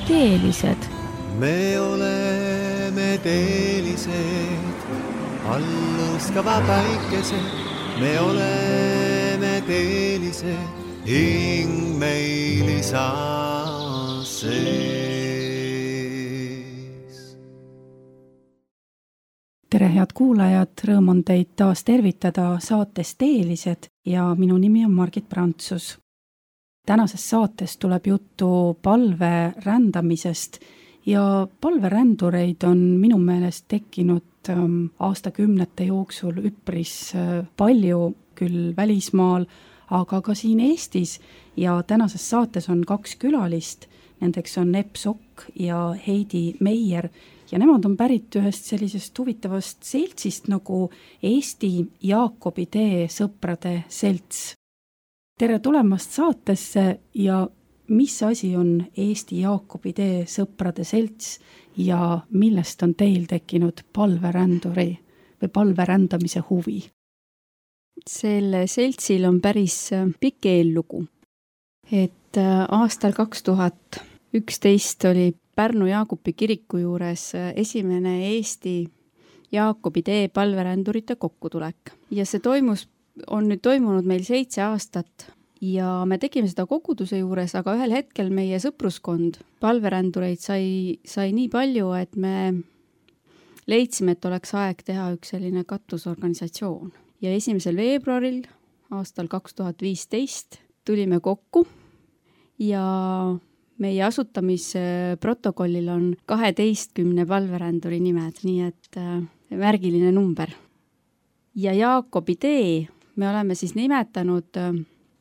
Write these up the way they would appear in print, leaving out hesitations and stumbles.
teelised. Me oleme teelised, alluskava päikesed. Me oleme teelised, hing meil isa sees. Tere, head kuulajad, rõõm on teid taas tervitada saates Teelised ja minu nimi on Margit Prantsus. Tänases saates tuleb juttu palve rändamisest ja palverändureid on minu meelest tekkinud aastakümnete jooksul üpris palju, küll välismaal, aga ka siin Eestis ja tänases saates on 2 külalist, nendeks on Epp Sokk ja Heidi Meier ja nemad on pärit ühest sellisest huvitavast seltsist nagu Eesti Jaakobi tee sõprade selts. Tere tulemast saatesse ja mis asi on Eesti Jaakobi tee sõprade selts ja millest on teil tekkinud palveränduri või palverändamise huvi? Selle seltsil on päris pikk eellugu. Et aastal 2011 oli Pärnu Jaakobi kiriku juures esimene Eesti Jaakobi tee palverändurite kokkutulek. Ja see on nüüd toimunud meil 7 aastat ja me tegime seda koguduse juures, aga ühel hetkel meie sõpruskond palverändureid sai nii palju, et me leidsime, et oleks aeg teha üks selline katusorganisatsioon. Ja 1. veebruaril aastal 2015 tulime kokku ja meie asutamisprotokollil on 12 palveränduri nimed, nii et märgiline number. Ja Jaakobi tee me oleme siis nimetanud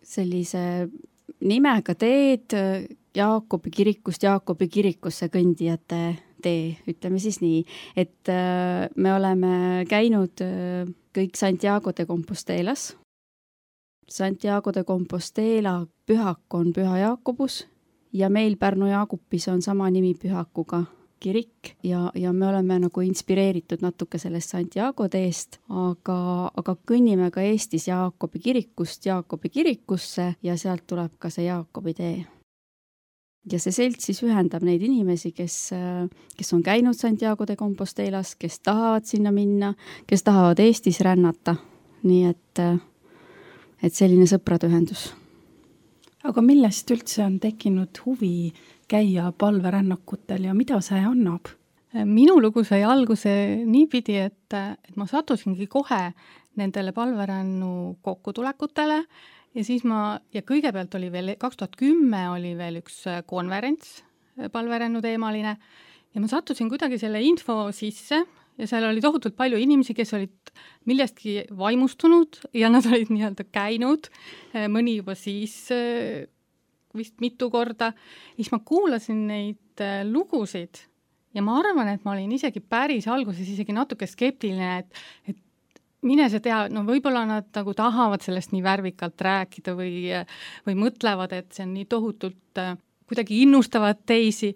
sellise nimega teed Jaakobi kirikust Jaakobi kirikusse kõndijate tee, ütleme siis nii, et me oleme käinud kõik Santiago de Compostelas. Santiago de Compostela pühak on Püha Jaakobus ja meil Pärnu Jaakopis on sama nimi pühakuga kirik ja me oleme nagu inspireeritud natuke sellest Santiago teest, aga kõnnime ka Eestis Jaakobi kirikust Jaakobi kirikusse ja sealt tuleb ka see Jaakobi tee. Ja see selts siis ühendab neid inimesi, kes on käinud Santiago de Compostelas, kes tahavad sinna minna, kes tahavad Eestis rännata. Nii et selline sõprade ühendus. Aga millest üldse on tekkinud huvi käia palverännakutel ja mida see annab? Minu lugu sai alguse niipidi, et ma sattusingi kohe nendele palverännu kokkutulekutele ja siis ja kõigepealt oli veel 2010 oli veel üks konverents palverännu teemaline ja ma sattusin kuidagi selle info sisse ja seal oli tohutult palju inimesi, kes olid millestki vaimustunud ja nad olid nii-öelda käinud, mõni juba siis vist mitu korda. Siis ma kuulasin neid lugusid ja ma arvan, et ma olin isegi päris alguses isegi natuke skeptiline, et mine see tea, no võib-olla nad nagu tahavad sellest nii värvikalt rääkida või mõtlevad, et see on nii tohutult kuidagi innustavad teisi.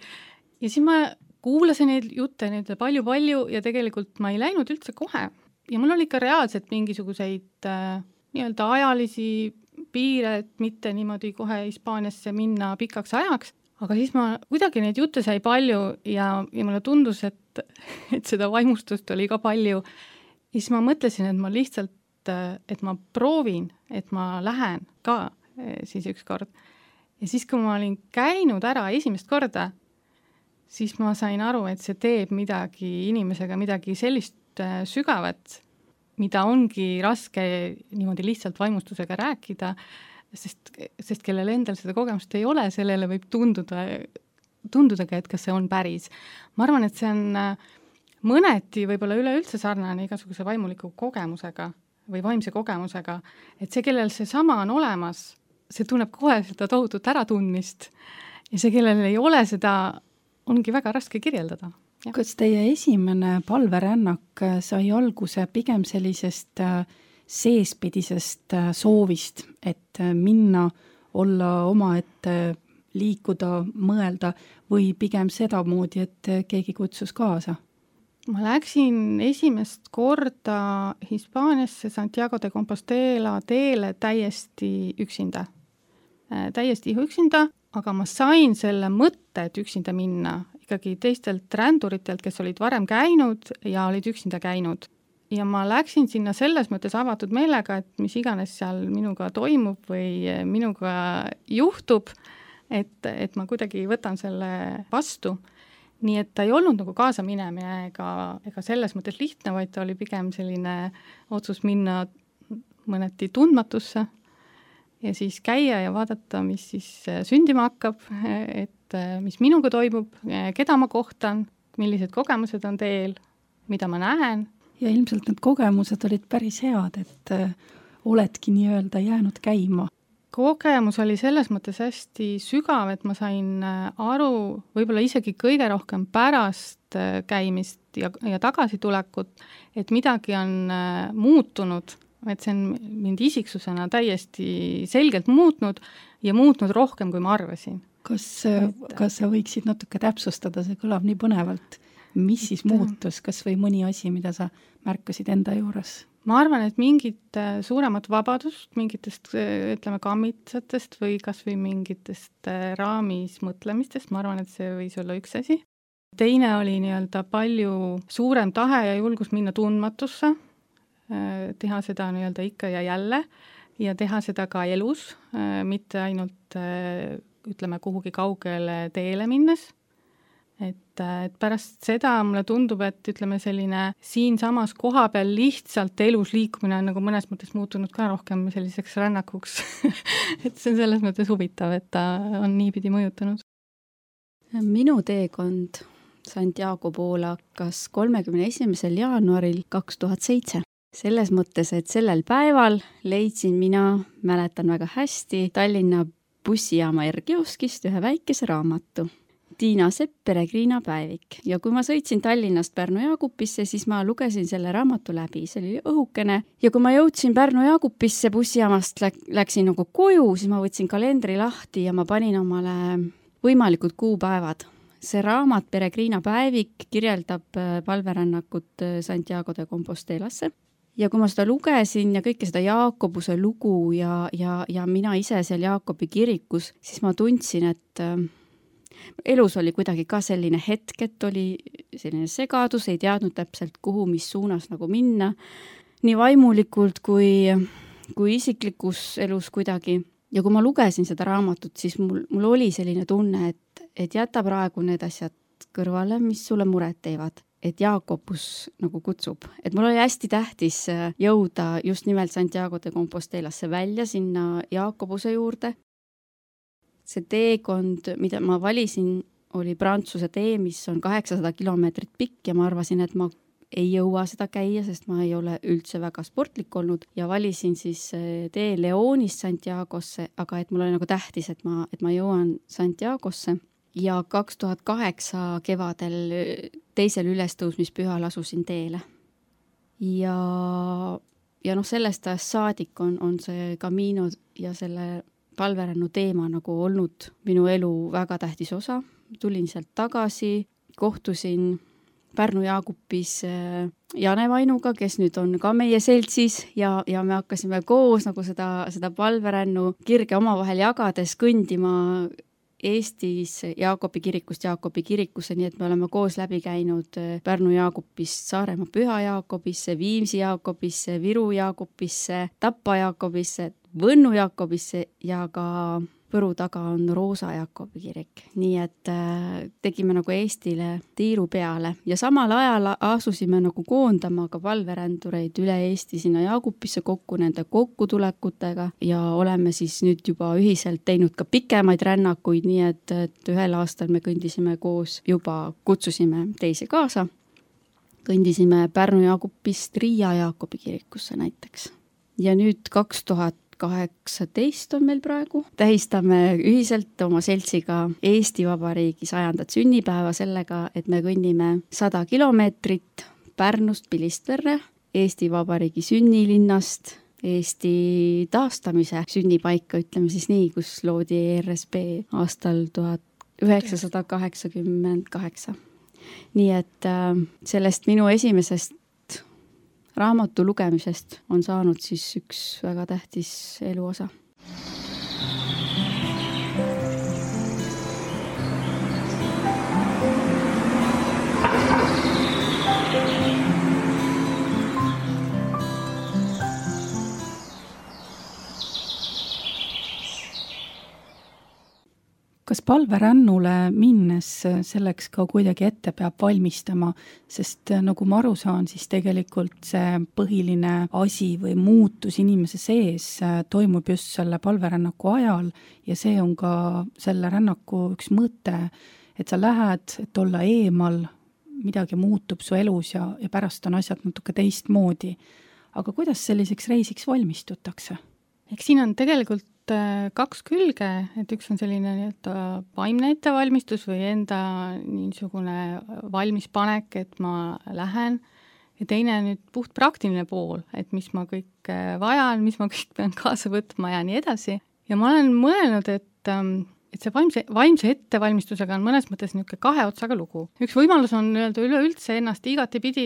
Ja siis ma kuulasin neid jutte nüüd palju ja tegelikult ma ei läinud üldse kohe. Ja mul oli ka reaalselt mingisuguseid nii-öelda ajalisi piire, et mitte niimoodi kohe Hispaaniasse minna pikaks ajaks. Aga siis ma kuidagi neid jutte sai palju ja mulle tundus, et seda vaimustust oli ka palju. Ja siis ma mõtlesin, et ma lihtsalt, et ma proovin, et ma lähen ka siis üks kord. Ja siis, kui ma olin käinud ära esimest korda, siis ma sain aru, et see teeb midagi inimesega, midagi sellist sügavat, mida ongi raske niimoodi lihtsalt vaimustusega rääkida, sest kellel endal seda kogemust ei ole, sellele võib tundudagi, et kas see on päris. Ma arvan, et see on mõneti võib-olla üleüldse sarnane igasuguse vaimuliku kogemusega või vaimse kogemusega, et see, kellel see sama on olemas, see tunneb kohe seda tohutut äratundmist ja see, kellel ei ole seda, ongi väga raske kirjeldada. Ja. Kas teie esimene palverännak sai alguse pigem sellisest seespidisest soovist, et minna, olla omaette, liikuda, mõelda või pigem seda moodi, et keegi kutsus kaasa? Ma läksin esimest korda Hispaaniasse Santiago de Compostela teele täiesti üksinda. aga ma sain selle mõtte, et üksinda minna ikkagi teistelt ränduritelt, kes olid varem käinud ja olid üksinda käinud. Ja ma läksin sinna selles mõttes avatud meelega, et mis iganes seal minuga toimub või minuga juhtub, et ma kuidagi võtan selle vastu. Nii et ta ei olnud nagu kaasa minemine ega selles mõttes lihtne, vaid ta oli pigem selline otsus minna mõneti tundmatusse ja siis käia ja vaadata, mis siis sündima hakkab, et mis minuga toimub, keda ma kohtan, millised kogemused on teel, mida ma näen. Ja ilmselt need kogemused olid päris head, et oledki nii-öelda jäänud käima. Kogemus oli selles mõttes hästi sügav, et ma sain aru võib-olla isegi kõige rohkem pärast käimist ja tagasitulekut, et midagi on muutunud, et see on mind isiksusena täiesti selgelt muutnud ja muutnud rohkem, kui ma arvasin. Kas sa võiksid natuke täpsustada, see kõlab nii põnevalt? Mis siis muutus, kas või mõni asi, mida sa märkasid enda juures? Ma arvan, et mingit suuremat vabadust, mingitest, ütleme, kammitsatest või kas või mingitest raamis mõtlemistest, ma arvan, et see võis olla üks asi. Teine oli nii-öelda palju suurem tahe ja julgus minna tundmatusse, teha seda nii-öelda ikka ja jälle ja teha seda ka elus, mitte ainult, ütleme, kuhugi kaugele teele minnes. Et pärast seda mulle tundub, et ütleme selline siin samas koha peal lihtsalt elus liikumine on nagu mõnes mõttes muutunud ka rohkem selliseks rännakuks. Et see on selles mõttes huvitav, et ta on niipidi mõjutanud. Minu teekond Santiago poole hakkas 31. jaanuaril 2007. Selles mõttes, et sellel päeval leidsin mina, mäletan väga hästi, Tallinna bussijaama R-kioskist ühe väikese raamatu. Tiina Sepp, Peregriina päevik. Ja kui ma sõitsin Tallinnast Pärnu-Jaagupisse, siis ma lugesin selle raamatu läbi. See oli õhukene. Ja kui ma jõudsin Pärnu-Jaagupisse bussijaamast, läksin nagu koju, siis ma võtsin kalendri lahti ja ma panin omale võimalikud kuupäevad. See raamat Peregriina päevik kirjeldab palverännakut Santiago de Compostelasse. Ja kui ma seda lugesin ja kõike seda Jaakobuse lugu ja mina ise seal Jaakobi kirikus, siis ma tundsin, et elus oli kuidagi ka selline hetk, et oli selline segadus, ei teadnud täpselt kuhu, mis suunas nagu minna, nii vaimulikult kui isiklikus elus kuidagi. Ja kui ma lugesin seda raamatut, siis mul oli selline tunne, et jäta praegu need asjad kõrvale, mis sulle muret teevad, et Jaakobus nagu kutsub. Et mul oli hästi tähtis jõuda just nimelt Santiago de Compostelasse välja sinna Jaakobuse juurde. See teekond, mida ma valisin, oli Prantsuse tee, mis on 800 kilomeetrit pikk ja ma arvasin, et ma ei jõua seda käia, sest ma ei ole üldse väga sportlik olnud ja valisin siis tee Leonist Santiagosse, aga et mul oli nagu tähtis, et ma jõuan Santiagosse ja 2008 kevadel teisel ülestõusmispühal asusin teele. Ja sellest ajast saadik on see Camino ja selle palverännu teema nagu olnud minu elu väga tähtis osa. Tulin sealt tagasi, kohtusin Pärnu-Jaagupis Jane Vainuga, kes nüüd on ka meie seltsis ja me hakkasime koos nagu seda palverännu kirge omavahel jagades kõndima Eestis Jaakobi kirikust Jaakobi kirikusse, nii et me oleme koos läbi käinud Pärnu-Jaagupist Saaremaa Püha Jaakobisse, Viimsi Jaakobisse, Viru Jaakobisse, Tapa Jaakobisse, Võnnu Jaakobisse ja ka Võru taga on Roosa Jaakobi kirik. Nii et tegime nagu Eestile tiiru peale ja samal ajal asusime nagu koondama ka palverändureid üle Eesti sinna Jaagupisse kokku nende kokkutulekutega ja oleme siis nüüd juba ühiselt teinud ka pikemaid rännakuid, nii et ühel aastal me kõndisime koos, juba kutsusime teisi kaasa. Kõndisime Pärnu-Jaagupist Riia Jaakobi kirikusse näiteks. Ja nüüd 2018 on meil praegu. Tähistame ühiselt oma seltsiga Eesti Vabariigi 100. sünnipäeva sellega, et me kõnnime 100 kilomeetrit Pärnust Pilistverre, Eesti Vabariigi sünnilinnast, Eesti taastamise sünnipaika, ütleme siis nii, kus loodi ERSP aastal 1988. Nii et sellest minu esimesest raamatu lugemisest on saanud siis üks väga tähtis eluosa. Kas palverännule minnes selleks ka kuidagi ette peab valmistama, sest nagu ma aru saan, siis tegelikult see põhiline asi või muutus inimese sees toimub just selle palverännaku ajal ja see on ka selle rännaku üks mõte, et sa lähed, et olla eemal, midagi muutub su elus ja pärast on asjad natuke teistmoodi. Aga kuidas selliseks reisiks valmistutakse? Eks siin on tegelikult kaks külge, et üks on selline vaimne ettevalmistus või enda niisugune valmispanek, et ma lähen, ja teine nüüd puht praktiline pool, et mis ma kõik vajan, mis ma kõik pean kaasa võtma ja nii edasi. Ja ma olen mõelnud, et see vaimse ettevalmistusega on mõnes mõttes niisugune kahe otsaga lugu. Üks võimalus on üleüldse ennast igatepidi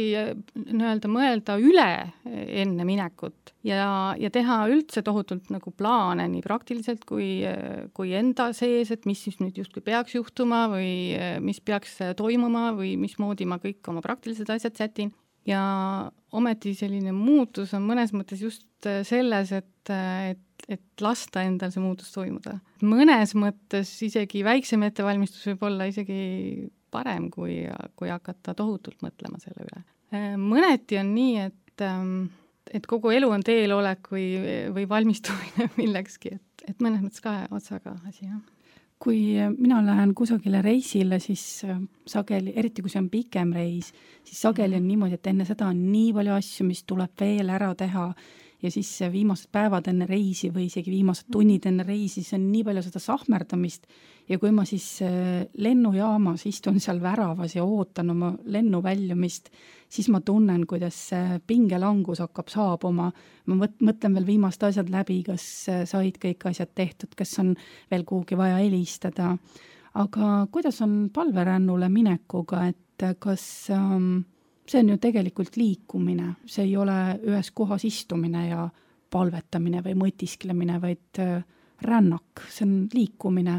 mõelda üle enne minekut ja teha üldse tohutult nagu plaane nii praktiliselt kui enda sees, et mis siis nüüd justkui peaks juhtuma või mis peaks toimuma või mismoodi ma kõik oma praktilised asjad sätin. Ja ometi selline muutus on mõnes mõttes just selles, et lasta endal see muutus toimuda. Mõnes mõttes isegi väiksem ettevalmistus võib olla isegi parem, kui hakata tohutult mõtlema selle üle. Mõneti on nii, et kogu elu on teelolek või valmistumine millekski, et mõnes mõttes kahe otsaga asi, jah. Kui mina lähen kusagile reisile, siis sageli, eriti kui see on pikem reis, siis sageli on niimoodi, et enne seda on nii palju asju, mis tuleb veel ära teha ja siis viimased päevad enne reisi või isegi viimased tunnid enne reisi, see on nii palju seda sahmerdamist ja kui ma siis lennujaamas istun seal väravas ja ootan oma lennu väljumist, siis ma tunnen, kuidas pingelangus hakkab saabuma. Ma mõtlen veel viimased asjad läbi, kas said kõik asjad tehtud, kas on veel kuhugi vaja helistada. Aga kuidas on palverännule minekuga, et kas see on ju tegelikult liikumine, see ei ole ühes kohas istumine ja palvetamine või mõtisklemine, vaid rännak, see on liikumine.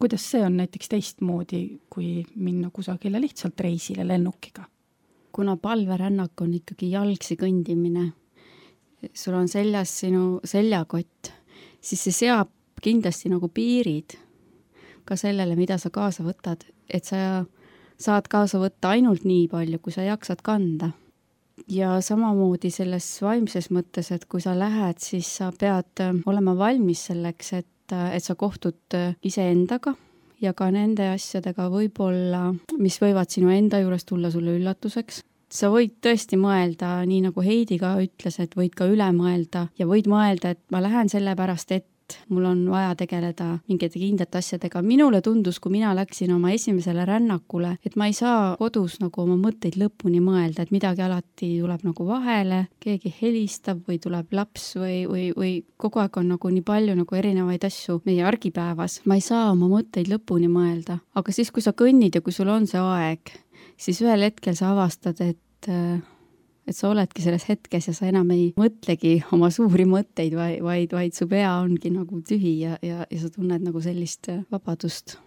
Kuidas see on näiteks teistmoodi, kui minna kusagile lihtsalt reisile lennukiga? Kuna palverännak on ikkagi jalgsi kõndimine, sul on seljas sinu seljakott, siis see seab kindlasti nagu piirid ka sellele, mida sa kaasa võtad, et sa saad kaasa võtta ainult nii palju, kui sa jaksad kanda. Ja samamoodi selles vaimses mõttes, et kui sa lähed, siis sa pead olema valmis selleks, et sa kohtud iseendaga ja ka nende asjadega võib-olla, mis võivad sinu enda juures tulla sulle üllatuseks. Sa võid tõesti mõelda, nii nagu Heidi ka ütles, et võid ka üle mõelda ja võid mõelda, et ma lähen selle pärast, et mul on vaja tegeleda mingite kindlate asjadega. Minule tundus, kui mina läksin oma esimesele rännakule, et ma ei saa kodus nagu oma mõtteid lõpuni mõelda, et midagi alati tuleb nagu vahele, keegi helistab või tuleb laps või kogu aeg on nagu nii palju nagu erinevaid asju meie argipäevas. Ma ei saa oma mõtteid lõpuni mõelda, aga siis, kui sa kõnnid ja kui sul on see aeg, siis ühel hetkel sa avastad, et sa oledki selles hetkes ja sa enam ei mõtlegi oma suuri mõtteid, vaid su pea ongi nagu tühi ja sa tunned nagu sellist vabadust.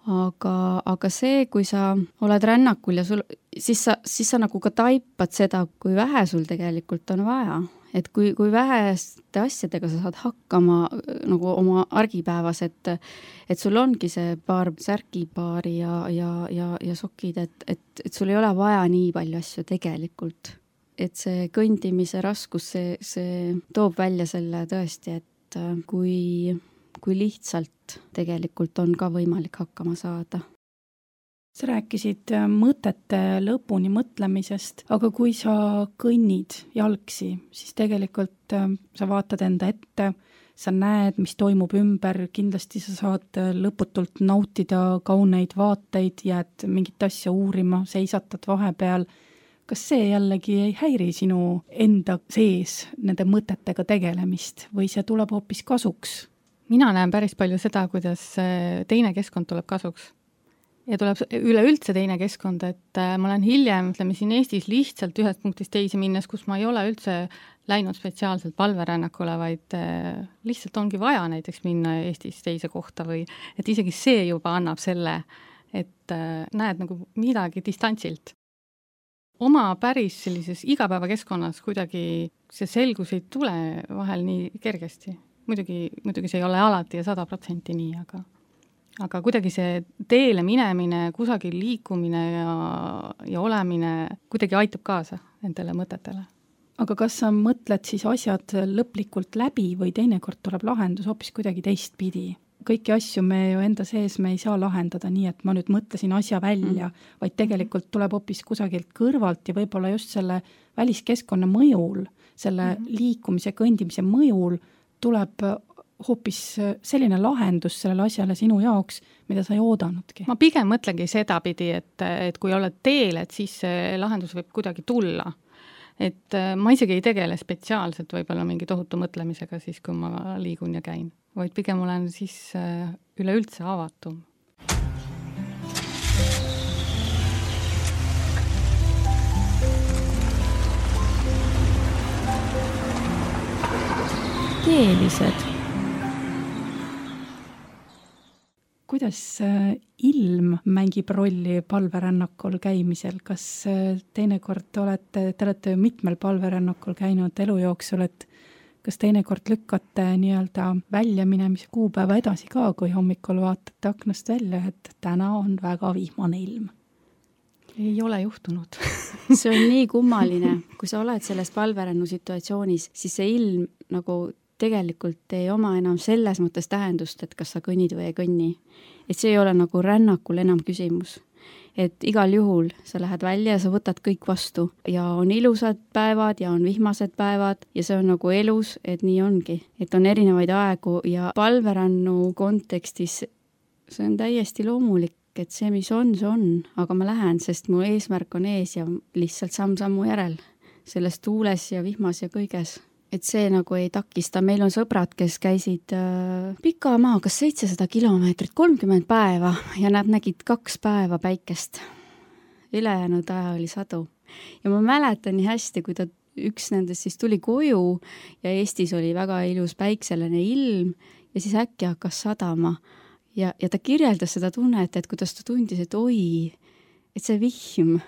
Aga see, kui sa oled rännakul ja siis sa nagu ka taipad seda, kui vähe sul tegelikult on vaja. Et kui väheste asjadega sa saad hakkama nagu oma argipäevas, et sul ongi see paar särkipaari ja sokid, et sul ei ole vaja nii palju asju tegelikult. Et see kõndimise raskus, see toob välja selle tõesti, et kui lihtsalt tegelikult on ka võimalik hakkama saada. Sa rääkisid mõtete lõpuni mõtlemisest, aga kui sa kõnnid jalgsi, siis tegelikult sa vaatad enda ette, sa näed, mis toimub ümber, kindlasti sa saad lõputult nautida kauneid vaateid, jääd mingit asja uurima, seisatad vahepeal. Kas see jällegi ei häiri sinu enda sees nende mõtetega tegelemist või see tuleb hoopis kasuks? Mina näen päris palju seda, kuidas teine keskkond tuleb kasuks. Ja tuleb üleüldse teine keskkond, et ma olen hiljem, ütleme siin Eestis lihtsalt ühest punktist teise minnes, kus ma ei ole üldse läinud spetsiaalselt palverännakule, vaid lihtsalt ongi vaja näiteks minna Eestis teise kohta või et isegi see juba annab selle, et näed nagu midagi distantsilt. Oma päris sellises igapäevakeskkonnas kuidagi see selgus ei tule vahel nii kergesti. Muidugi see ei ole alati ja 100% nii, aga aga kuidagi see teele minemine, kusagil liikumine ja olemine kuidagi aitab kaasa nendele mõtetele. Aga kas sa mõtled siis asjad lõplikult läbi või teinekord tuleb lahendus hoopis kuidagi teistpidi? Kõiki asju me ju enda sees me ei saa lahendada nii, et ma nüüd mõtlesin asja välja, vaid tegelikult tuleb hoopis kusagilt kõrvalt ja võib-olla just selle väliskeskkonna mõjul, selle liikumise, kõndimise mõjul tuleb hoopis selline lahendus sellele asjale sinu jaoks, mida sa ei oodanudki. Ma pigem mõtlengi sedapidi, et kui oled teel, et siis see lahendus võib kuidagi tulla. Et ma isegi ei tegele spetsiaalselt võib-olla mingi tohutu mõtlemisega siis, kui ma liigun ja käin, vaid pigem olen siis üleüldse avatum. Teelised. Kuidas ilm mängib rolli palverännakul käimisel? Kas teinekord te olete mitmel palverännakul käinud elu jooksul, et kas teinekord lükkate nii-öelda väljaminemise kuupäeva edasi ka, kui hommikul vaatate aknast välja, et täna on väga vihmane ilm? Ei ole juhtunud. See on nii kummaline. Kui sa oled selles palverännu situatsioonis, siis see ilm nagu tegelikult ei oma enam selles mõttes tähendust, et kas sa kõnnid või ei kõnni. Et see ei ole nagu rännakul enam küsimus. Et igal juhul sa lähed välja ja sa võtad kõik vastu ja on ilusad päevad ja on vihmased päevad ja see on nagu elus, et nii ongi. Et on erinevaid aegu ja palverännu kontekstis see on täiesti loomulik, et see, mis on, see on, aga ma lähen, sest mu eesmärk on ees ja lihtsalt samm-sammu järel selles tuules ja vihmas ja kõiges. Et see nagu ei takista. Meil on sõbrad, kes käisid pika maa, kas 700 kilomeetrit, 30 päeva ja nad nägid 2 päeva päikest. Ülejäänud aja oli sadu. Ja ma mäletan nii hästi, kui üks nendest siis tuli koju ja Eestis oli väga ilus päikselene ilm ja siis äkki hakkas sadama. Ja ta kirjeldas seda tunnet, et kuidas ta tundis, et oi, et see vihm,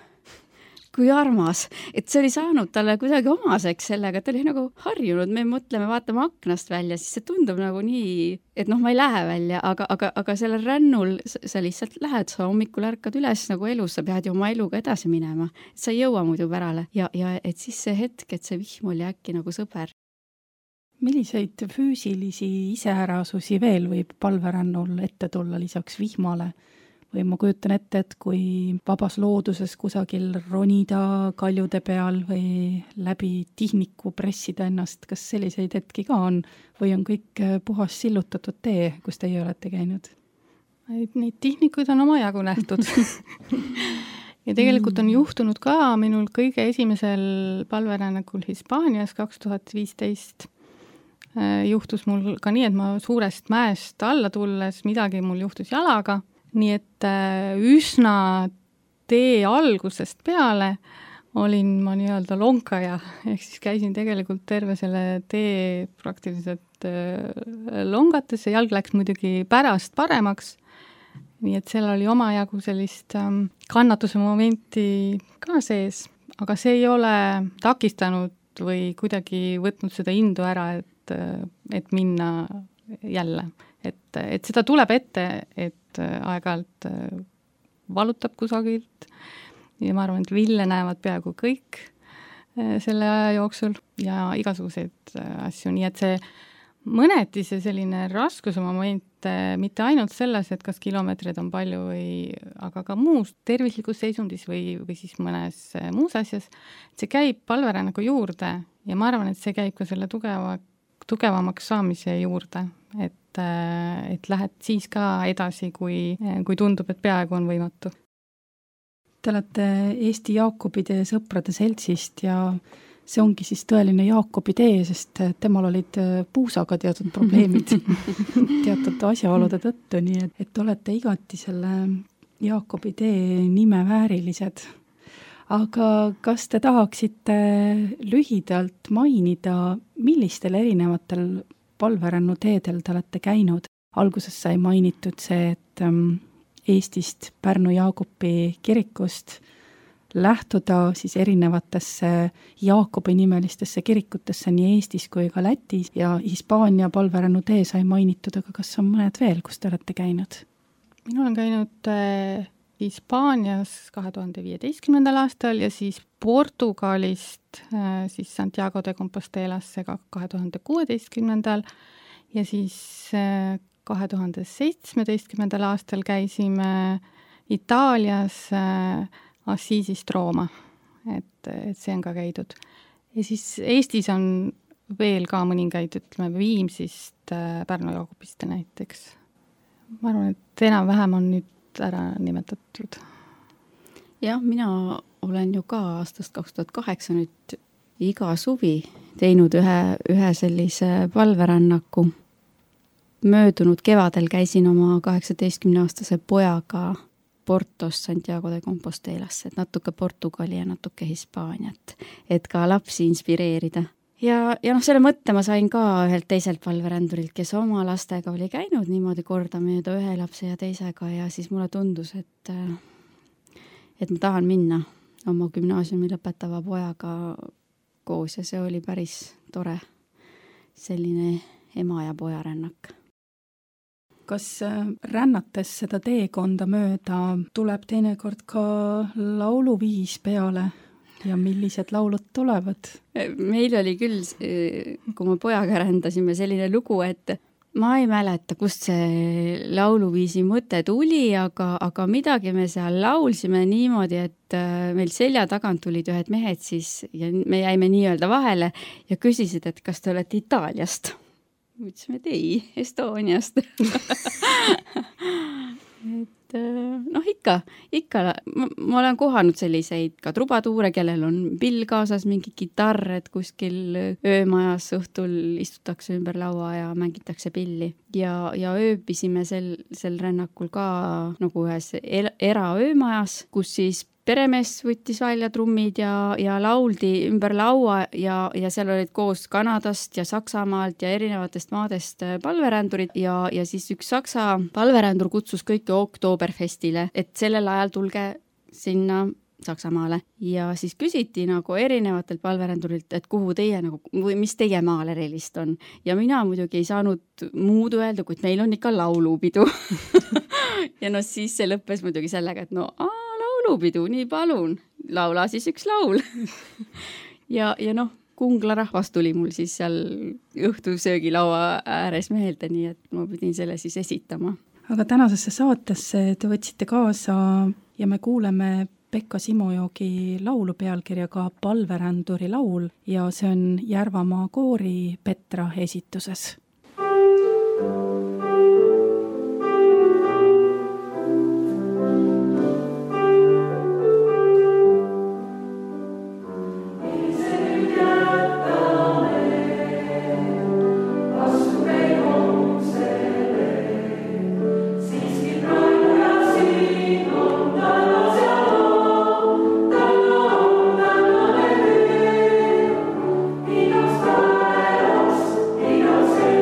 kui armas, et see oli saanud talle kuidagi omaseks sellega, et ta oli nagu harjunud, me mõtleme, vaatame aknast välja, siis see tundub nagu nii, et ma ei lähe välja, aga sellel rännul sa lihtsalt lähed, sa hommikul ärkad üles nagu elus, sa pead ju oma eluga edasi minema, et sa ei jõua muidu pärale ja et siis see hetk, et see vihm oli äkki nagu sõber. Milliseid füüsilisi iseärasusi veel võib palverännul ette tulla lisaks vihmale? Või ma kujutan ette, et kui vabas looduses kusagil ronida kaljude peal või läbi tihniku pressida ennast, kas selliseid hetki ka on või on kõik puhas sillutatud tee, kus teie olete käinud? Neid tihnikuid on omajagu nähtud. Ja tegelikult on juhtunud ka minul kõige esimesel palverännakul Hispaanias 2015. Juhtus mul ka nii, et ma suurest mäest alla tulles midagi mul juhtus jalaga. Nii et üsna tee algusest peale olin ma nii-öelda lonkaja, ehk siis käisin tegelikult terve selle tee praktiliselt longates ja jalg läks muidugi pärast paremaks. Nii et seal oli omajagu sellist kannatuse momenti ka sees, aga see ei ole takistanud või kuidagi võtnud seda indu ära, et minna jälle. Et seda tuleb ette, et aeg-ajalt valutab kusagilt ja ma arvan, et Ville näevad peaaegu kõik selle aja jooksul ja igasuguseid asju, nii et see mõneti see selline raskuse moment mitte ainult selles, et kas kilomeetrid on palju aga ka muus tervislikus seisundis või siis mõnes muus asjas, see käib palverännaku juurde ja ma arvan, et see käib ka selle tugevamaks saamise juurde, et lähed siis ka edasi, kui tundub, et peaaegu on võimatu. Te olete Eesti Jaakobide sõprade seltsist ja see ongi siis tõeline Jaakobi tee, sest temal olid puusaga teatud probleemid teatud asjaolude tõttu, nii et olete igati selle Jaakobi tee nime väärilised. Aga kas te tahaksite lühidalt mainida, millistel erinevatel palverännu teedel te olete käinud? Alguses sai mainitud see, et Eestist Pärnu Jaakobi kirikust lähtuda siis erinevatesse Jaakobi nimelistesse kirikutesse nii Eestis kui ka Lätis ja Hispaania palverännu tee sai mainitud, aga kas on mõned veel, kus te olete käinud? mina olen käinud Hispaanias 2015. aastal ja siis Portugalist siis Santiago de Compostelasse ka 2016. ja siis 2017. aastal käisime Itaalias Assisist Rooma, et see on ka käidud. Ja siis Eestis on veel ka mõningaid, ütleme Viimsist Pärnu Jaagupiste näiteks. Ma arvan, et enam-vähem on nüüd ära nimetatud. Jah, mina olen ju ka aastast 2008 nüüd iga suvi teinud ühe sellise palverännaku. Möödunud kevadel käisin oma 18-aastase pojaga Portos Santiago de Compostelasse, et natuke Portugali ja natuke Hispaaniat, et ka lapsi inspireerida. Ja selle mõtte ma sain ka ühelt teiselt palverändurilt, kes oma lastega oli käinud niimoodi kordamööda ühe lapse ja teisega ja siis mulle tundus, et ma tahan minna oma gümnaasiumi lõpetava pojaga koos ja see oli päris tore selline ema ja poja rännak. Kas rännates seda teekonda mööda tuleb teinekord ka lauluviis peale? Ja millised laulud tulevad? Meil oli küll, kui me pojaga rändasime, selline lugu, et ma ei mäleta, kust see lauluviisi mõte tuli, aga midagi me seal laulsime niimoodi, et meil selja tagant tulid ühed mehed siis ja me jäime nii-öelda vahele ja küsisid, et kas te olete Itaaliast. Mõtlesime, et ei, Estoniast. Ikka, ma olen kohanud selliseid ka trubatuure, kellel on pill kaasas, mingi kitarr, et kuskil öömajas õhtul istutakse ümber laua ja mängitakse pilli. Ja ööbisime sel rännakul ka nagu ühes eraöömajas, kus siis peremees võttis välja trummid ja lauldi ümber laua ja seal olid koos Kanadast ja Saksamaalt ja erinevatest maadest palverändurid ja siis üks Saksa palverändur kutsus kõiki Oktoberfestile, et sellel ajal tulge sinna Saksamaale. Ja siis küsiti nagu erinevatelt palverändurilt, et kuhu teie nagu, või mis teie maal erilist on. Ja mina muidugi ei saanud muud öelda, kuid meil on ikka laulupidu. Ja siis see lõppes muidugi sellega, et laulupidu, nii palun, laula siis üks laul. ja Kungla rahvas tuli mul siis seal õhtusöögilaua ääres meelde, nii et ma pidin selle siis esitama. Aga tänasesse saatesse te võtsite kaasa ja me kuuleme Pekka Simojoogi laulu pealkirjaga Palveränduri laul ja see on Järvamaa koori Petra esituses. Say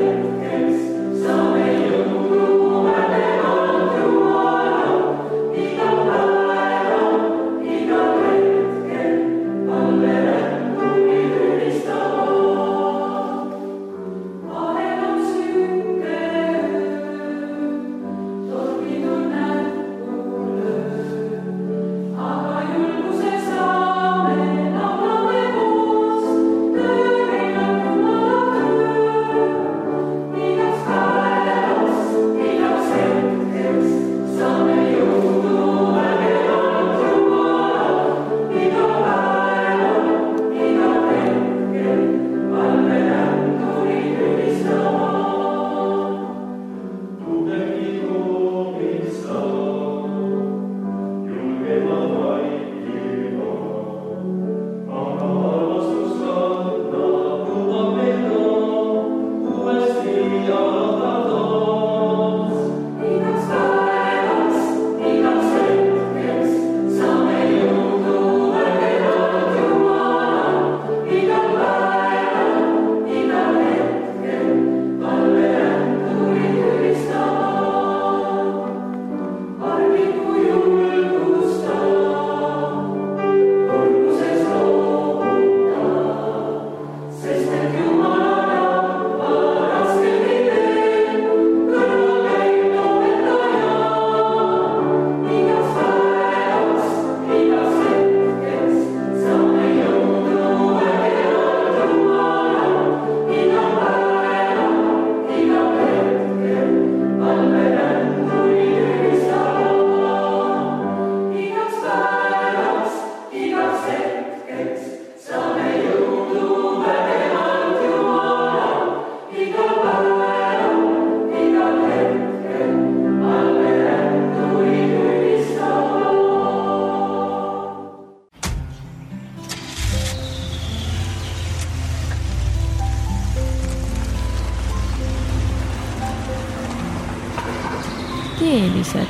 keelised.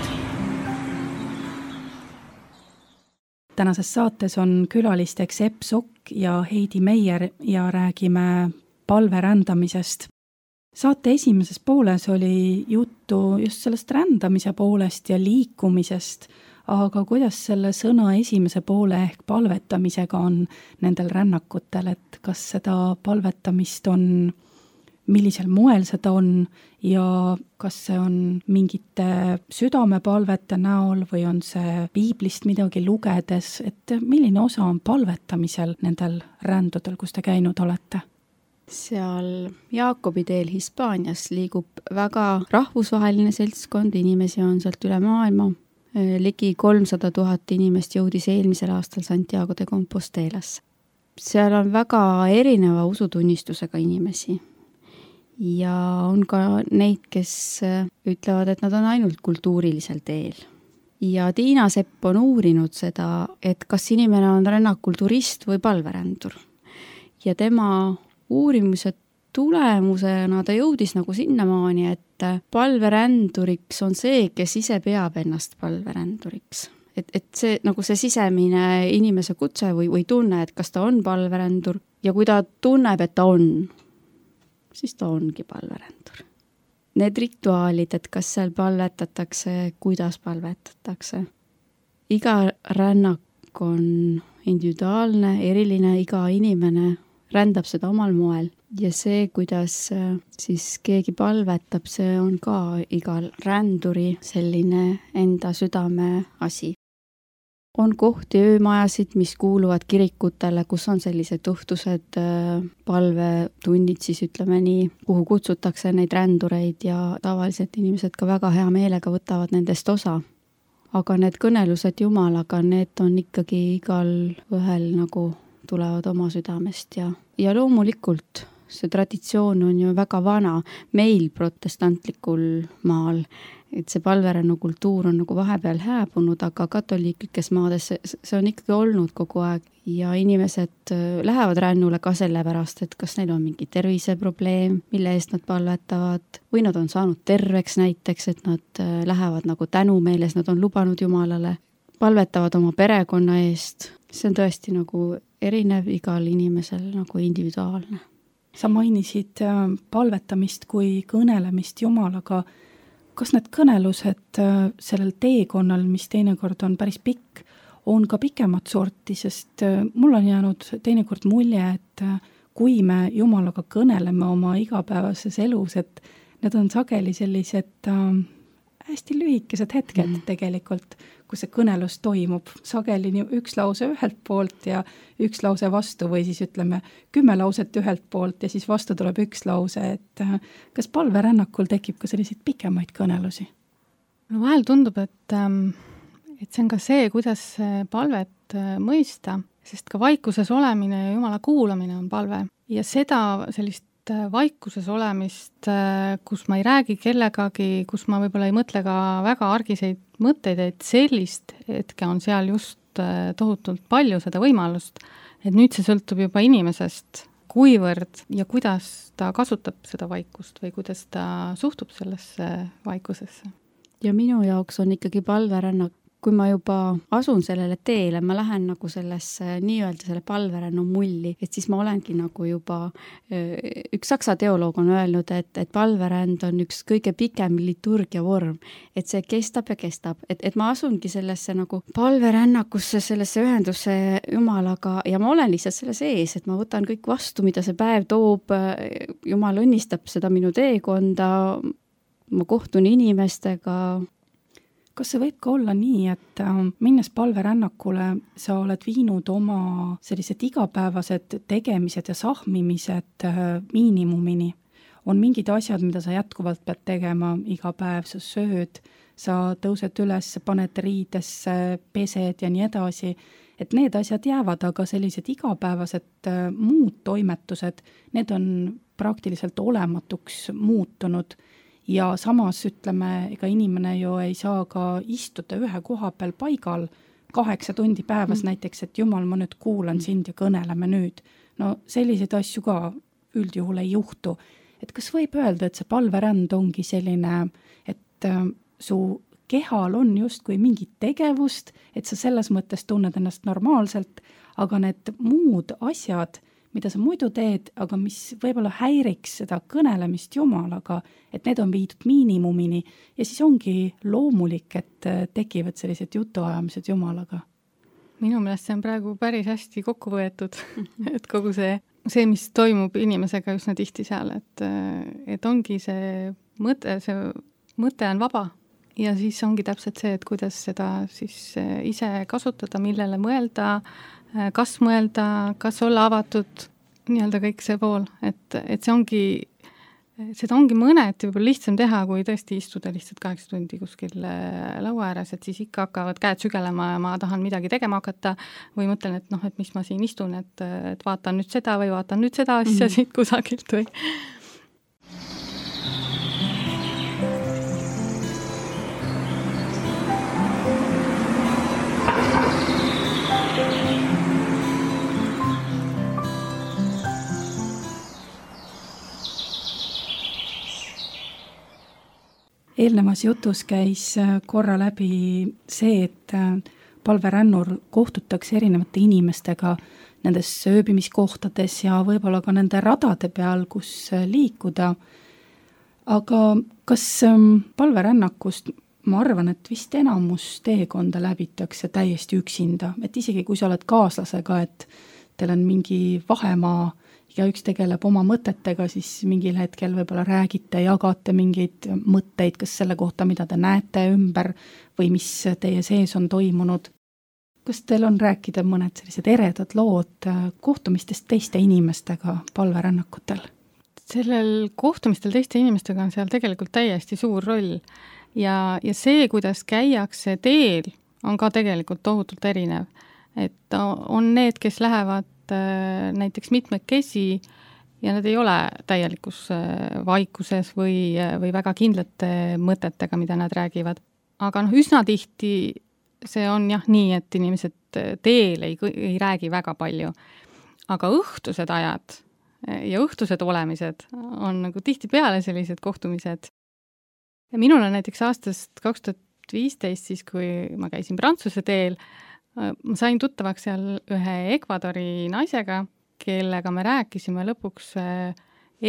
Tänases saates on külalisteks Epp Sokk ja Heidi Meier ja räägime palverändamisest. Saate esimeses pooles oli juttu just sellest rändamise poolest ja liikumisest, aga kuidas selle sõna esimese poole ehk palvetamisega on nendel rännakutel, et kas seda palvetamist on, millisel moel seda on ja kas see on mingite südamepalvete näol või on see piiblist midagi lugedes, et milline osa on palvetamisel nendel rändudel, kus te käinud olete? Seal Jaakobi teel Hispaanias liigub väga rahvusvaheline seltskond, inimesi on sealt üle maailma. Ligi 300 000 inimest jõudis eelmisel aastal Santiago de Compostelasse. Seal on väga erineva usutunnistusega inimesi. Ja on ka neid, kes ütlevad, et nad on ainult kultuurilisel teel. Ja Tiina Sepp on uurinud seda, et kas inimene on rännakul turist või palverändur. Ja tema uurimise tulemusena ta jõudis nagu sinnamaani, et palveränduriks on see, kes ise peab ennast palveränduriks. Et see, nagu see sisemine inimese kutse või tunne, et kas ta on palverändur ja kui ta tunneb, et ta on, siis ta ongi palverändur. Need rituaalid, et kas seal palvetatakse, kuidas palvetatakse. Iga rännak on individuaalne, eriline, iga inimene rändab seda omal moel ja see, kuidas siis keegi palvetab, see on ka igal ränduri selline enda südame asi. On kohti öömajasid, mis kuuluvad kirikutele, kus on sellised õhtused palvetunnid, siis ütleme nii, kuhu kutsutakse neid rändureid ja tavaliselt inimesed ka väga hea meelega võtavad nendest osa. Aga need kõnelused Jumalaga, need on ikkagi igal ühel nagu tulevad oma südamest ja loomulikult see traditsioon on ju väga vana meil protestantlikul maal, et see palverännu kultuur on nagu vahepeal hääbunud, aga katoliiklikes maades see on ikkagi olnud kogu aeg ja inimesed lähevad rännule ka sellepärast, et kas neil on mingi terviseprobleem, mille eest nad palvetavad või nad on saanud terveks näiteks, et nad lähevad nagu tänumeeles, nad on lubanud Jumalale, palvetavad oma perekonna eest. See on tõesti nagu erinev igal inimesel nagu individuaalne. Sa mainisid palvetamist kui kõnelemist Jumalaga. Kas need kõnelused sellel teekonnal, mis teinekord on päris pikk, on ka pikemat sorti, sest mul on jäänud teinekord mulje, et kui me Jumalaga kõneleme oma igapäevases elus, et need on sageli sellised hästi lühikesed hetked tegelikult, kus see kõnelus toimub. Sageli üks lause ühelt poolt ja üks lause vastu või siis ütleme 10 lauset ühelt poolt ja siis vastu tuleb üks lause, et kas palverännakul tekib ka selliseid pikemaid kõnelusi? No vahel tundub, et see on ka see, kuidas palvet mõista, sest ka vaikuses olemine ja Jumala kuulamine on palve ja seda sellist vaikuses olemist, kus ma ei räägi kellegagi, kus ma võib-olla ei mõtle ka väga argiseid mõtteid, et sellist hetke on seal just tohutult palju seda võimalust, et nüüd see sõltub juba inimesest, kuivõrd ja kuidas ta kasutab seda vaikust või kuidas ta suhtub sellesse vaikusesse. Ja minu jaoks on ikkagi palverännak, kui ma juba asun sellele teele, ma lähen nagu sellesse nii-öelda selle palverännu mulli, et siis ma olengi nagu juba, üks saksa teoloog on öelnud, et palveränd on üks kõige pikem liturgia vorm, et see kestab ja kestab, et ma asungi sellesse nagu palverännakusse, sellesse ühendusse Jumalaga ja ma olen lihtsalt selle sees, et ma võtan kõik vastu, mida see päev toob, Jumal õnnistab seda minu teekonda, ma kohtun inimestega. Kas see võib ka olla nii, et minnes palverännakule sa oled viinud oma sellised igapäevased tegemised ja sahmimised miinimumini? On mingid asjad, mida sa jätkuvalt pead tegema iga päev, sa sööd, sa tõused üles, paned riidesse, pesed ja nii edasi, et need asjad jäävad, aga sellised igapäevased muud toimetused, need on praktiliselt olematuks muutunud. Ja samas ütleme, ega inimene ju ei saa ka istuda ühe koha peal paigal 8 tundi päevas näiteks, et Jumal, ma nüüd kuulan sind ja kõneleme nüüd. No selliseid asju ka üldjuhul ei juhtu. Et kas võib öelda, et see palveränd ongi selline, et su kehal on justkui mingit tegevust, et sa selles mõttes tunned ennast normaalselt, aga need muud asjad, mida sa muidu teed, aga mis võib-olla häiriks seda kõnelemist Jumalaga, et need on viidud miinimumini ja siis ongi loomulik, et tekivad sellised jutuajamised Jumalaga. Minu meelest see on praegu päris hästi kokku võetud, et kogu see, mis toimub inimesega üsna tihti seal, et ongi see mõte on vaba. Ja siis ongi täpselt see, et kuidas seda siis ise kasutada, millele mõelda, kas olla avatud, nii-öelda kõik see pool, et seda ongi mõneti võib-olla lihtsam teha, kui tõesti istuda lihtsalt 8 tundi kuskil laua ääres, et siis ikka hakkavad käed sügelema ja ma tahan midagi tegema hakata või mõtlen, et mis ma siin istun, et vaatan nüüd seda või vaatan nüüd seda asja siit kusagilt või. Eelnevas jutus käis korra läbi see, et palverännur kohtutakse erinevate inimestega nendes sööbimiskohtades ja võib-olla ka nende radade peal, kus liikuda. Aga kas palverännakust, ma arvan, et vist enamus teekonda läbitakse täiesti üksinda, et isegi kui sa oled kaaslasega, et teil on mingi vahemaa, ja üks tegeleb oma mõtetega, siis mingil hetkel võib-olla räägite, jagate mingeid mõtteid, kas selle kohta, mida te näete ümber või mis teie sees on toimunud. Kas teil on rääkida mõned sellised eredad lood kohtumistest teiste inimestega palverännakutel? Sellel kohtumistel teiste inimestega on seal tegelikult täiesti suur roll ja see, kuidas käiakse teel, on ka tegelikult tohutult erinev. Et on need, kes lähevad näiteks mitmekesi ja nad ei ole täielikus vaikuses või väga kindlate mõtetega, mida nad räägivad. Aga üsna tihti see on nii, et inimesed teel ei räägi väga palju. Aga õhtused ajad ja õhtused olemised on nagu tihtipeale sellised kohtumised. Ja minul on näiteks aastast 2015, siis kui ma käisin Prantsuse teel, ma sain tuttavaks seal ühe Ecuadori naisega, kellega me rääkisime lõpuks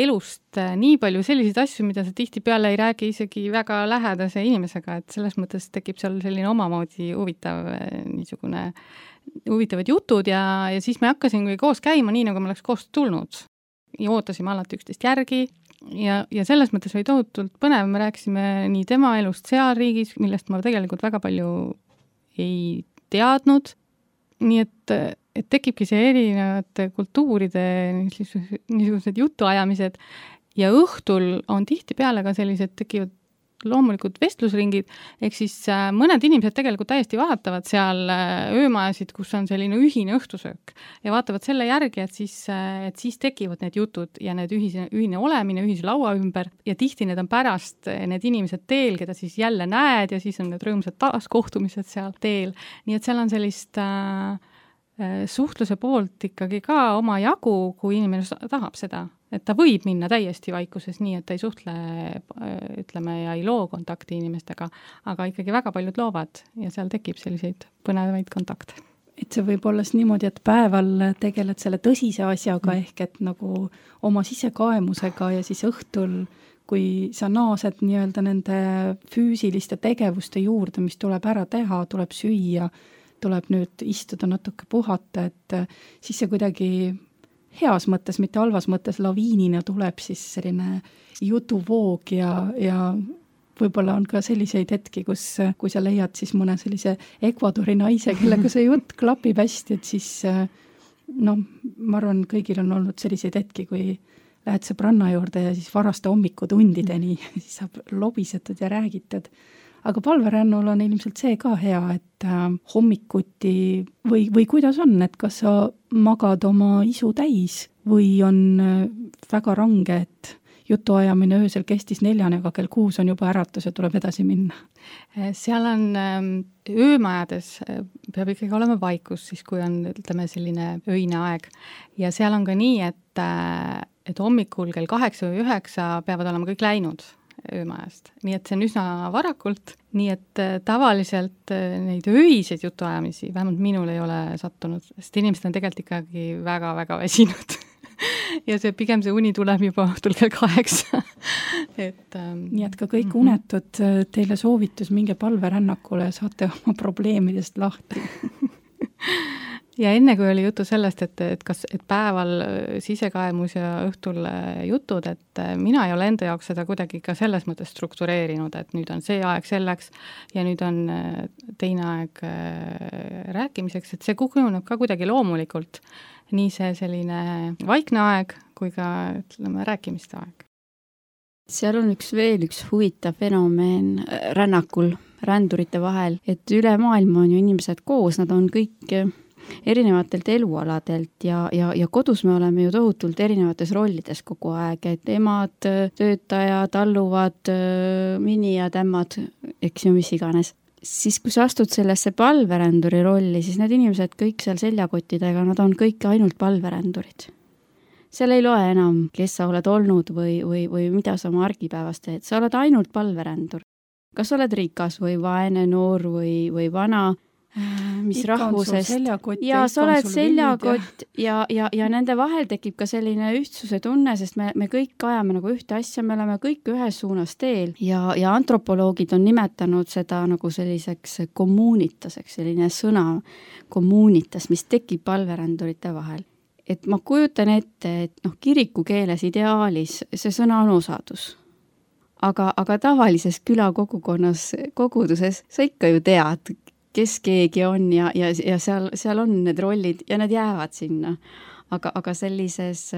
elust nii palju selliseid asju, mida sa tihtipeale ei räägi isegi väga lähedase inimesega, et selles mõttes tekib seal selline omamoodi huvitavad jutud ja siis me hakkasimegi koos käima nii, nagu me oleks koos tulnud. Ja ootasime alati üksteist järgi ja selles mõttes oli tohutult põnev, me rääkisime nii tema elust seal riigis, millest ma tegelikult väga palju ei teadnud, nii et tekibki see erinevate kultuuride niisugused jutuajamised ja õhtul on tihtipeale ka sellised tekivad loomulikud vestlusringid, ehk siis mõned inimesed tegelikult täiesti vaatavad seal öömajasid, kus on selline ühine õhtusöök ja vaatavad selle järgi, et siis tekivad need jutud ja need ühine olemine ühise laua ümber ja tihti need on pärast need inimesed teel, keda siis jälle näed ja siis on need rõõmsad taaskohtumised seal teel. Nii et seal on sellist suhtluse poolt ikkagi ka oma jagu, kui inimene tahab seda. Et ta võib minna täiesti vaikuses nii, et ta ei suhtle, ütleme, ja ei loo kontakti inimestega, aga ikkagi väga paljud loovad ja seal tekib selliseid põnevaid kontakte. Et see võib olla niimoodi, et päeval tegeled selle tõsise asjaga ehk et nagu oma sisekaemusega ja siis õhtul, kui sa naased nii-öelda nende füüsiliste tegevuste juurde, mis tuleb ära teha, tuleb süüa, tuleb nüüd istuda natuke puhata, et siis see kuidagi heas mõttes, mitte halvas mõttes laviinina tuleb siis selline jutuvoog ja võib-olla on ka selliseid hetki, kui sa leiad siis mõne sellise Ecuadori naise, kellega see jutt klapib hästi, et siis ma arvan, kõigil on olnud selliseid hetki, kui lähed sõbranna juurde ja siis varaste hommikutundideni, siis saab lobisetud ja räägitud. Aga palverännul on ilmselt see ka hea, et hommikuti või kuidas on, et kas sa magad oma isu täis või on väga range, et jutuajamine öösel kestis 4, aga kell 6 on juba äratus ja tuleb edasi minna? Seal on öömajades peab ikkagi olema vaikus, siis kui on, ütleme, selline öine aeg. Ja seal on ka nii, et hommikul kell 8 või 9 peavad olema kõik läinud. öömajast. Nii et see on üsna varakult, nii et tavaliselt neid öiseid jutuajamisi, vähemalt minul ei ole sattunud, sest inimesed on tegelikult ikkagi väga-väga väsinud. Ja pigem see uni tuleb juba õhtul kell 8. Nii et ka kõik unetud, teile soovitus, minge palverännakule ja saate oma probleemidest lahti. Ja enne kui oli juttu sellest, et päeval sisekaemus ja õhtul jutud, et mina ei ole enda jaoks seda kuidagi ka selles mõttes struktureerinud, et nüüd on see aeg selleks ja nüüd on teine aeg rääkimiseks, et see kujuneb ka kuidagi loomulikult. Nii see selline vaikne aeg kui ka, ütleme, rääkimiste aeg. Seal on veel üks huvitav fenomen rännakul, rändurite vahel, et üle maailma on ju inimesed koos, nad on kõik erinevatelt elualadelt ja kodus me oleme ju tohutult erinevates rollides kogu aeg, et emad, töötajad, alluvad, minijad, ämmad, eks ju, mis iganes. Siis kui sa astud sellesse palveränduri rolli, siis need inimesed kõik seal seljakottidega, nad on kõik ainult palverändurid. Seal ei loe enam, kes sa oled olnud või mida sa oma argipäevas teed. Sa oled ainult palverändur. Kas oled rikas või vaene, noor või vana, mis ikka rahvusest. Ja sa oled seljakott ja nende vahel tekib ka selline ühtsuse tunne, sest me kõik ajame nagu ühte asja, me oleme kõik ühes suunas teel ja antropoloogid on nimetanud seda nagu selliseks kommuunitaseks, selline sõna kommuunitas, mis tekib palverändurite vahel. Et ma kujutan ette, et kirikukeeles ideaalis see sõna on osadus. Aga tavalises külakogukonnas, koguduses sa ikka ju tead, kes keegi on ja seal on need rollid ja need jäävad sinna. Aga sellises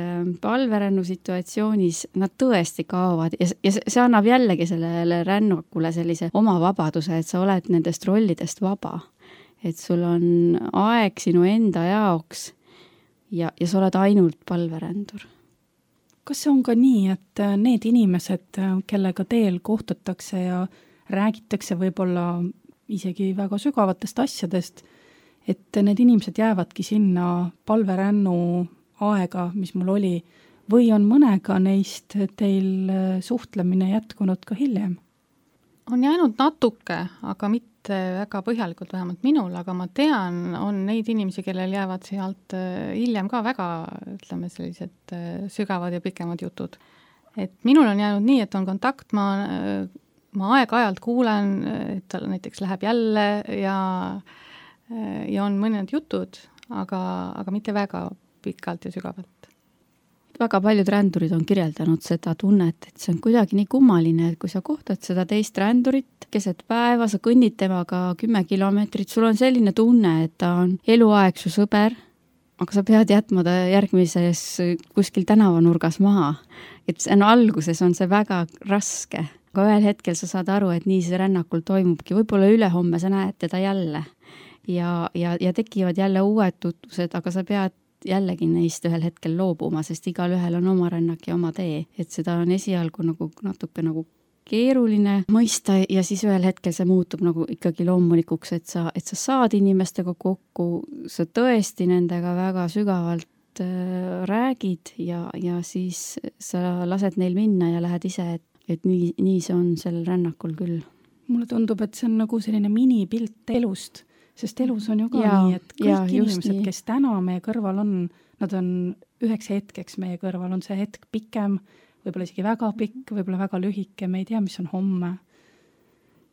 palverännu situatsioonis nad tõesti kaovad ja see annab jällegi sellele rännakule sellise oma vabaduse, et sa oled nendest rollidest vaba. Et sul on aeg sinu enda jaoks ja sa oled ainult palverändur. Kas see on ka nii, et need inimesed, kellega teel kohtutakse ja räägitakse võib-olla isegi väga sügavatest asjadest, et need inimesed jäävadki sinna palverännu aega, mis mul oli, või on mõnega neist teil suhtlemine jätkunud ka hiljem? On jäänud natuke, aga mitte väga põhjalikult, vähemalt minul, aga ma tean, on neid inimesi, kellel jäävad sealt hiljem ka väga, ütleme, sellised sügavad ja pikemad jutud. Et minul on jäänud nii, et on kontakt, ma aeg-ajalt kuulen, et tal näiteks läheb jälle ja on mõned jutud, aga mitte väga pikalt ja sügavalt. Väga paljud rändurid on kirjeldanud seda tunnet, et see on kuidagi nii kummaline, et kui sa kohtad seda teist rändurit keset päeva, sa kõnnid temaga 10 kilomeetrit, sul on selline tunne, et ta on eluaeg su sõber, aga sa pead jätma ta järgmises kuskil tänavanurgas maha. Et alguses on see väga raske. Aga ühel hetkel sa saad aru, et nii see rännakul toimubki. Võib-olla ülehomme sa näed teda jälle ja tekivad jälle uued tutvused, aga sa pead jällegi neist ühel hetkel loobuma, sest igal ühel on oma rännak ja oma tee. Et seda on esialgu natuke keeruline mõista ja siis ühel hetkel see muutub ikkagi loomulikuks, et sa saad inimestega kokku, sa tõesti nendega väga sügavalt räägid ja siis sa lased neil minna ja lähed ise, et nii see on sellel rännakul küll. Mulle tundub, et see on nagu selline minipilt elust, sest elus on ju ka nii, et kõik inimesed, kes täna meie kõrval on, nad on üheks hetkeks meie kõrval, on see hetk pikem, võib-olla isegi väga pikk, võib-olla väga lühike, me ei tea, mis on homme.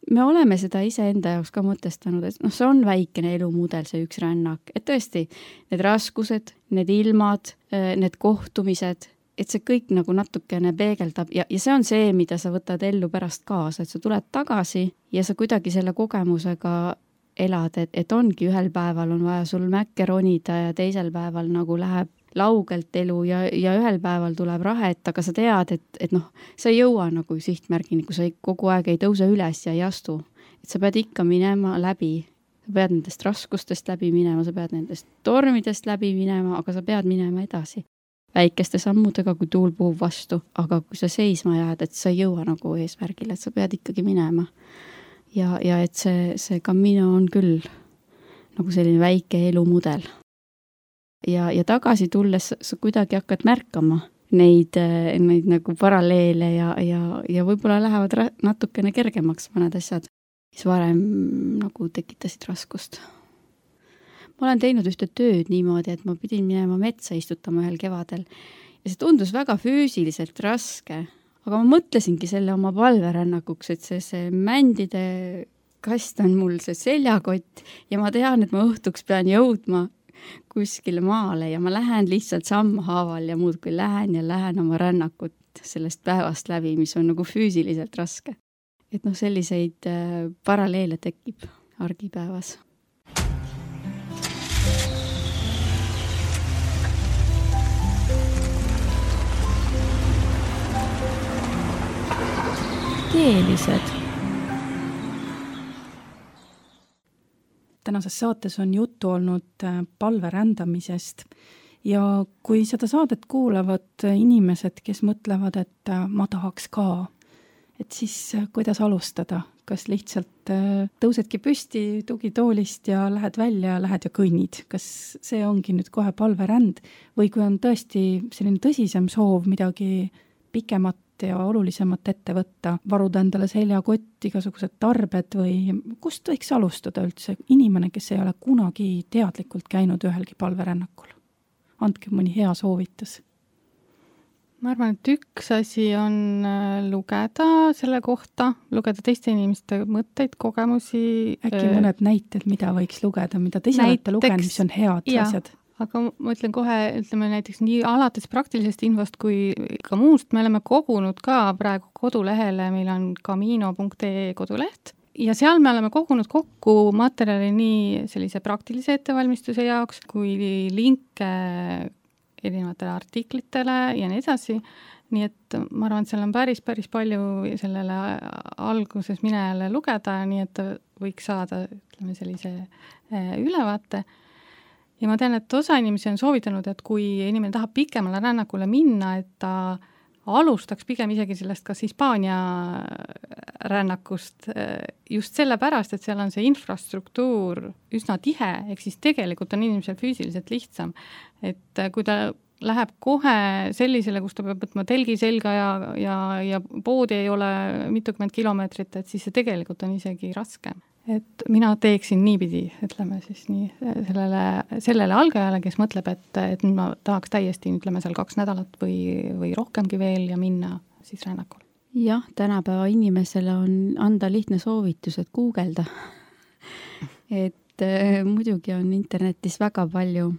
Me oleme seda iseenda jaoks ka mõtestanud, et see on väikene elumudel, see üks rännak, et tõesti need raskused, need ilmad, need kohtumised, et see kõik natukene peegeldab ja see on see, mida sa võtad ellu pärast kaasa, et sa tuled tagasi ja sa kuidagi selle kogemusega elad, et ongi ühel päeval on vaja sul mäkke ronida ja teisel päeval läheb laugelt elu ja ühel päeval tuleb rahet, aga sa tead, et sa ei jõua sihtmärgini, kui sa kogu aeg ei tõuse üles ja ei astu. Et sa pead ikka minema läbi, sa pead nendest raskustest läbi minema, sa pead nendest tormidest läbi minema, aga sa pead minema edasi. Väikeste sammudega, kui tuul puhub vastu, aga kui sa seisma jääd, et sa ei jõua eesmärgile, et sa pead ikkagi minema. Ja et see Camino on küll selline väike elumudel. Ja tagasi tulles sa kuidagi hakkad märkama, neid nagu paralleele ja võib-olla lähevad natukene kergemaks mõned asjad, mis varem nagu tekitasid raskust. Ma olen teinud ühte tööd niimoodi, et ma pidin minema metsa istutama ühel kevadel ja see tundus väga füüsiliselt raske, aga ma mõtlesingi selle oma palverännakuks, et see mändide kast on mul see seljakott ja ma tean, et ma õhtuks pean jõudma kuskile maale ja ma lähen lihtsalt sammhaaval ja muudkui lähen oma rännakut sellest päevast läbi, mis on nagu füüsiliselt raske. Et selliseid paralleele tekib argipäevas. Teelised. Tänases saates on juttu olnud palverändamisest ja kui seda saadet kuulavad inimesed, kes mõtlevad, et ma tahaks ka, et siis kuidas alustada? Kas lihtsalt tõusedki püsti tugitoolist ja lähed välja, lähed ja kõnnid? Kas see ongi nüüd kohe palveränd või kui on tõesti selline tõsisem soov midagi pikemat ja olulisemat ette võtta, varuda endale seljakott, igasugused tarbed või kust võiks alustada üldse inimene, kes ei ole kunagi teadlikult käinud ühelgi palverännakul? Andke mõni hea soovitus. Ma arvan, et üks asi on lugeda selle kohta, lugeda teiste inimeste mõtteid, kogemusi. Äkki mõned näited, mida võiks lugeda, mida te ise olete lugenud, mis on head asjad? Aga ma ütlen kohe, ütleme näiteks nii alates praktilisest infost kui ka muust, me oleme kogunud ka praegu kodulehele, meil on camino.ee koduleht ja seal me oleme kogunud kokku materjali nii sellise praktilise ettevalmistuse jaoks kui linke erinevatele artiklitele ja nii edasi. Nii et ma arvan, et seal on päris palju sellele alguses minejale lugeda, nii et võiks saada ütleme, sellise ülevaate. Ja ma tean, et osa inimesi on soovitanud, et kui inimene tahab pikemale rännakule minna, et ta alustaks pigem isegi sellest kas Hispaania rännakust just sellepärast, et seal on see infrastruktuur üsna tihe, ehk siis tegelikult on inimesel füüsiliselt lihtsam. Et kui ta läheb kohe sellisele, kus ta peab võtma telgi selga ja poodi ei ole mitukümmend kilomeetrit, et siis see tegelikult on isegi raskem. Et mina teeksin niipidi, ütleme siis nii sellele algajale, kes mõtleb, et ma tahaks täiesti, ütleme seal 2 nädalat või rohkemgi veel ja minna siis rännakul. Jah, tänapäeva inimesele on anda lihtne soovitus, et guugelda. Et muidugi on internetis väga palju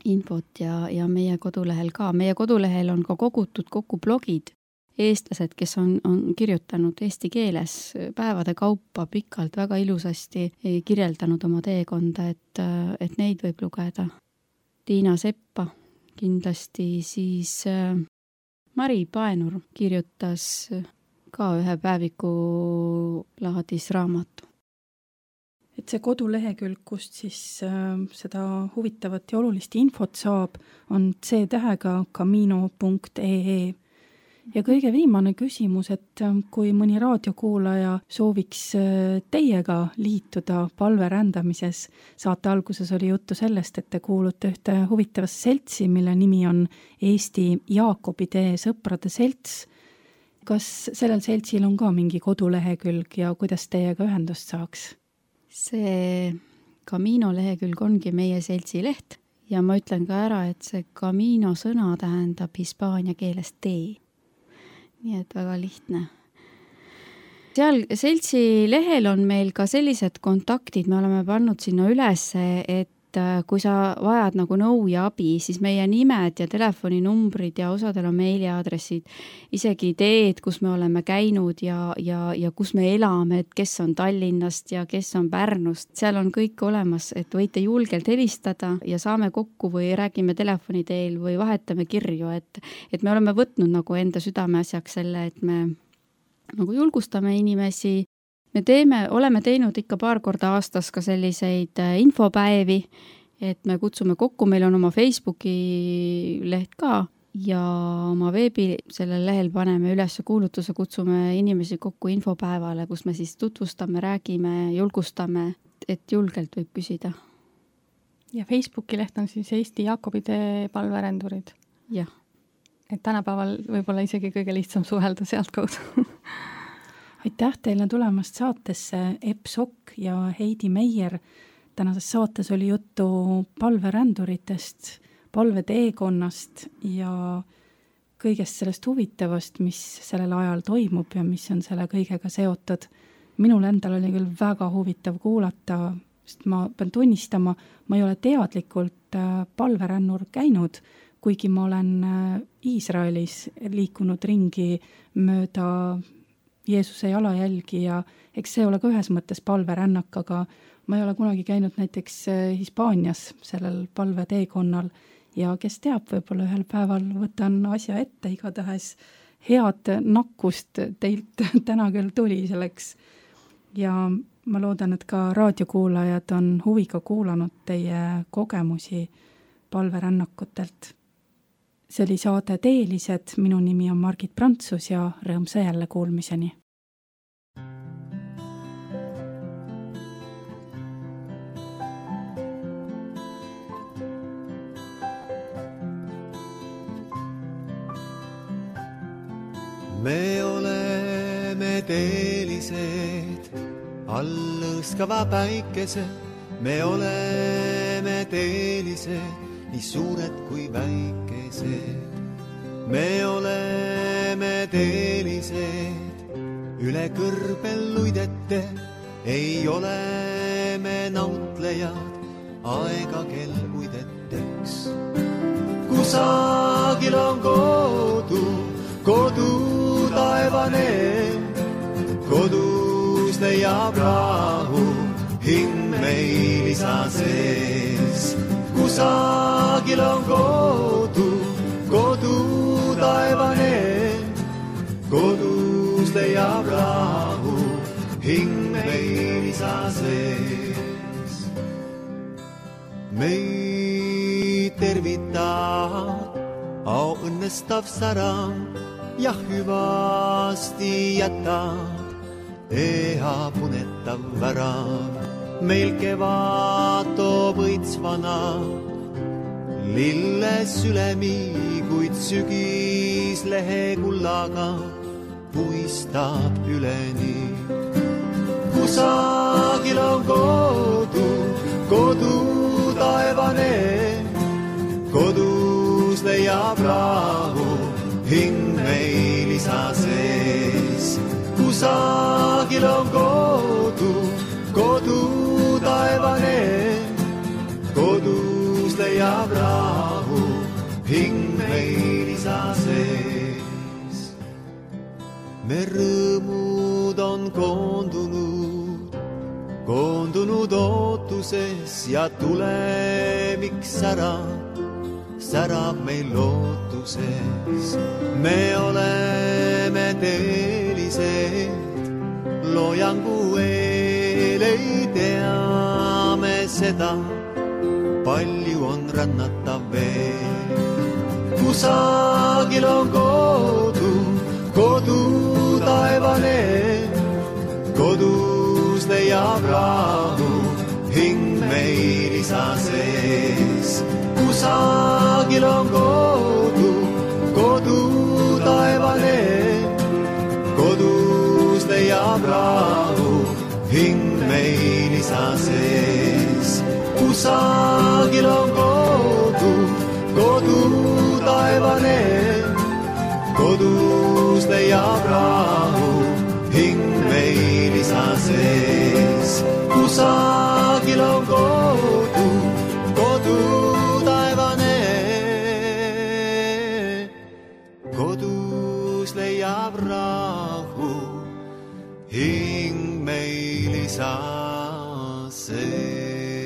infot ja meie kodulehel ka. Meie kodulehel on ka kogutud kokku blogid. Eestlased, kes on kirjutanud eesti keeles päevade kaupa pikalt, väga ilusasti kirjeldanud oma teekonda, et neid võib lugeda. Tiina Seppa kindlasti, siis Mari Paenur kirjutas ka ühe päeviku laadis raamatu. Et see kodulehekülg, kust siis seda huvitavat ja olulist infot saab, on C-tähega camino.ee. Ja kõige viimane küsimus, et kui mõni raadiokuulaja sooviks teiega liituda palverändamises, saate alguses oli juttu sellest, et te kuulute ühte huvitavasse seltsi, mille nimi on Eesti Jaakobitee sõprade selts. Kas sellel seltsil on ka mingi kodulehekülg ja kuidas teiega ühendust saaks? See Camino lehekülg ongi meie seltsi leht ja ma ütlen ka ära, et see Camino sõna tähendab hispaania keeles tee. Nii et väga lihtne. Seal seltsi lehel on meil ka sellised kontaktid, me oleme pannud sinna üles, et kui sa vajad nagu nõu ja abi, siis meie nimed ja telefoninumbrid ja osadel on meiliaadressid, isegi ideed, kus me oleme käinud ja kus me elame, et kes on Tallinnast ja kes on Pärnust. Seal on kõik olemas, et võite julgelt helistada ja saame kokku või räägime telefoni teel või vahetame kirju, et me oleme võtnud nagu enda südameasjaks selle, et me nagu julgustame inimesi. Me oleme teinud ikka paar korda aastas ka selliseid infopäevi, et me kutsume kokku, meil on oma Facebooki leht ka ja oma veebi sellel lehel paneme üles kuulutuse, kutsume inimesi kokku infopäevale, kus me siis tutvustame, räägime, julgustame, et julgelt võib küsida. Ja Facebooki leht on siis Eesti Jaakobitee palverendurid. Jah. et tänapäeval võib-olla isegi kõige lihtsam suhelda sealt kaudu. Aitäh teile tulemast saatesse, Epp Sokk ja Heidi Meier. Tänases saates oli juttu palveränduritest, palveteekonnast ja kõigest sellest huvitavast, mis sellel ajal toimub ja mis on selle kõigega seotud. Minul endal oli küll väga huvitav kuulata, sest ma pean tunnistama, ma ei ole teadlikult palverännur käinud, kuigi ma olen Iisraelis liikunud ringi mööda Jeesuse jalajälgi ja eks see ole ka ühes mõttes palverännak, aga ma ei ole kunagi käinud näiteks Hispaanias sellel palveteekonnal ja kes teab, võib-olla ühel päeval võtan asja ette, igatahes head nakkust teilt täna küll tuli selleks. Ja ma loodan, et ka raadiokuulajad on huviga kuulanud teie kogemusi palverännakutelt. See oli saade Teelised, minu nimi on Margit Prantsus ja rõõmsa jälle kuulmiseni. Me oleme teelised, all lõõskava päikese. Me oleme teelised, nii suured kui väikesed. Me oleme teelised, üle kõrbel luidete. Ei ole me nautlejad, aega kel uideteks. Kusagil on kodu taevane, kodus leiab rahu, hing meil isa sees. Kusagil on kodu taevane, kodus leiab rahu, hing meil isa sees. Meid tervitab au õnnestav särang, ja hüvasti jätab eha punetav värav. Meil kevad toob õitsvana lilles ülemi, kuid sügis lehe kullaga puistab üleni. Kusagil on kodu taevane, kodus leiab rahu, hing meil isa sees. Kusagil on kodu taevane, kodus leiab rahu, hing meil isa sees. Me rõõmud on koondunud ootuses ja tulemik särab meil lootuses. Me oleme teelised, loojangu eel ei teame seda, palju on rannatav veel. Kusagil on kodu taevane, kodus leiab rahu, hing meil isa sees. Kusagil on kodu taevane, kodus leiab rahu, hing meil isa sees. Kusagil on kodu taevane, kodus leiab rahu, hing meil isa sees. Kusagil on kodu taevane, kodus leiab rahu, hing meil isa sees.